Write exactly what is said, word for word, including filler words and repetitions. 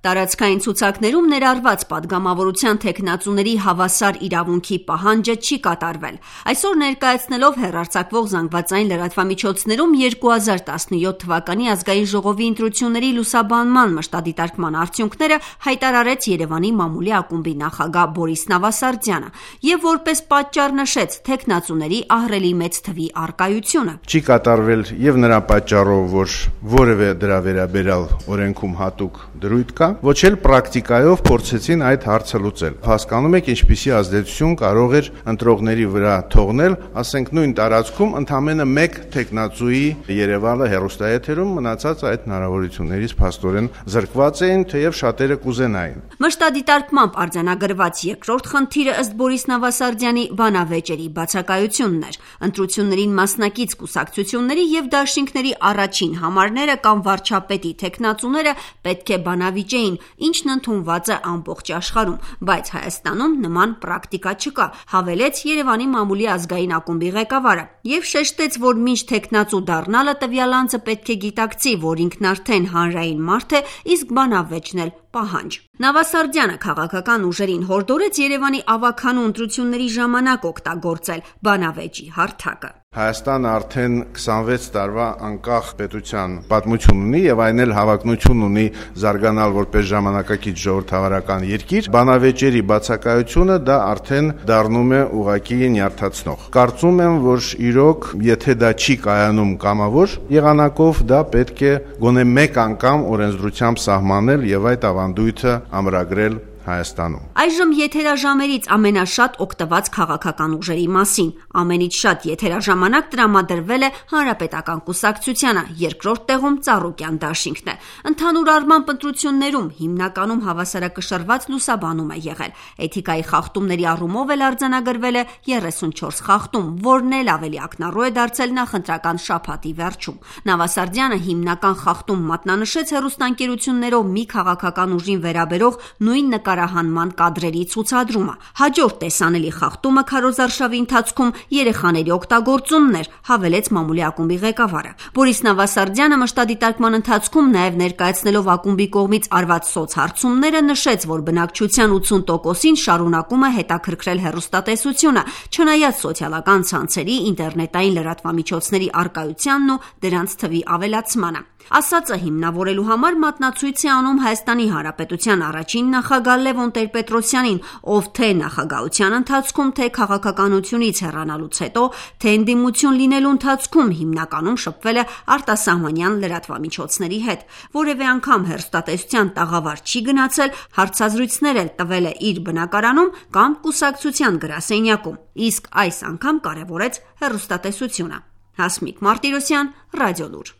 Տարածքային ցուցակներում ներառված падգամավորության թեկնածուների հավասար իրավունքի պահանջը չի կատարվել։ Այսօր ներկայացնելով հեռարձակվող զանգվածային լրատվամիջոցներում երկու հազար տասնյոթ թվականի ազգային ժողովի ընտրությունների լուսաբանման մշտադիտարկման արդյունքները հայտարարեց Երևանի մամուլի ակումբի նախագահ Բորիս Նավասարդյանը եւ որպես պատճառ նշեց թեկնածուների ահռելի մեծ թվի առկայությունը։ Չի կատարվել եւ նրա պատճառով, որ որևէ դրա վերաբերյալ օրենքում հատուկ դրույթ կա, ոչ էլ պրակտիկայով փորձեցին այդ հարցը լուծել։ Հասկանում եք, ինչպիսի ազդեցություն կարող էր ընտրողների վրա թողնել, ասենք նույն տարածքում ընդամենը մեկ թեկնածուի Երևանը հեռուստաեթերում, մնացած այդ հնարավորություններից փաստորեն զրկված էին, թեև շատերը կուզենային։ Մշտադիտարկմամբ արձանագրված երկրորդ խնդիրը ըստ Բորիս Նավասարդյանի բանավեճերի բացակայությունն էր։ Ընտրություններին մասնակից կուսակցությունների եւ դաշինքների առաջին համարները կամ վարչապետի թեկնածուները պետք է բանավիճեին, ինչն ընդունված է ամբողջ աշխարհում, բայց Հայաստանում նման պրակտիկա չկա, հավելեց Երևանի մամուլի ազգային ակումբի ղեկավարը եւ շեշտեց, որ մինչ թեկնածու դառնալը տվյալ անձը պետք է գիտակցի, որ ինքն արդեն հանրային մարդ է, իսկ բանավեճն էլ պահանջ։ Նավասարդյանը քաղաքական ուժերին հորդորեց Երևանի ավագանու ընտրությունների ժամանակ օգտագործել բանավեճի հարթակը։ Հայաստանը արդեն քսանվեց տարվա անկախ պետության պատմություն ունի եւ այն էլ հավակնություն ունի զարգանալ որպես ժամանակակից ժողովրդավարական երկիր։ Բանավեճերի բացակայությունը դա արդեն դառնում է ուղղակի նյարդացնող։ Կարծում եմ, որ իրոք, եթե դա չի կայանում կամավոր եղանակով, դա պետք է գոնե մեկ անգամ օրենսդրությամբ սահմանել եւ այդ ավանդույթը ամրագրել Հայաստանում։ Այժմ եթերաժամերից ամենաշատ օգտված քաղաքական ուժերի մասին։ Ամենից շատ եթերաժամանակ տրամադրվել է Հանրապետական կուսակցությանը, երկրորդ տեղում Ծառուկյան դաշինքն է։ Ընդհանուր առմամբ ընտրություններում հիմնականում հավասարակշռված լուսաբանում է եղել։ Էթիկայի խախտումների առումով էլ արձանագրվել է երեսունչորս խախտում, որն էլ ավելի ակնառու է դարձել նախընտրական շաբաթի վերջում։ Նավասարդյանը հիմնական խախտում մատնանշեց հեռուստաընկերություններով մի քաղաքական ուժին վերաբերող նույն նկարահանման կադրերի ցուցադրումը։ Հաջորդ տեսանելի խախտումը քարոզարշավի ընթացքում երեխաների օգտագործումն էր, հավելեց մամուլի ակումբի ղեկավարը։ Բորիս Նավասարդյանը մշտադիտարկման ընթացքում նաև ներկայացնելով ակումբի կողմից արված սոցհարցումները նշեց, որ բնակչության ութսուն տոկոսին շարունակում է հետաքրքրել հեռուստատեսությունը, չնայած սոցիալական ցանցերի, ինտերնետային լրատվամիջոցների առկայությանն ու դրանց թվի ավելացմանը։ Ասածը հիմնավորելու համար մատնացույց է անում Հայաստանի Հանրապետության առաջին նախագահ Լևոն Տեր-Պետրոսյանին, ով թե նախագահության ընթացքում, թե քաղաքականությունից հեռանալուց հետո, թե ընդդիմություն լինելու ընթացքում հիմնականում շփվել է արտասահմանյան լրատվամիջոցների հետ։ Որևէ անգամ հեռուստատեսության տաղավար չի գնացել, հարցազրույցներ էլ տվել է իր բնակարանում կամ կուսակցության գրասենյակում, իսկ այս անգամ կարևորեց հեռուստատեսությունը։ Հասմիկ Մարտիրոսյան, Ռադիոլուր։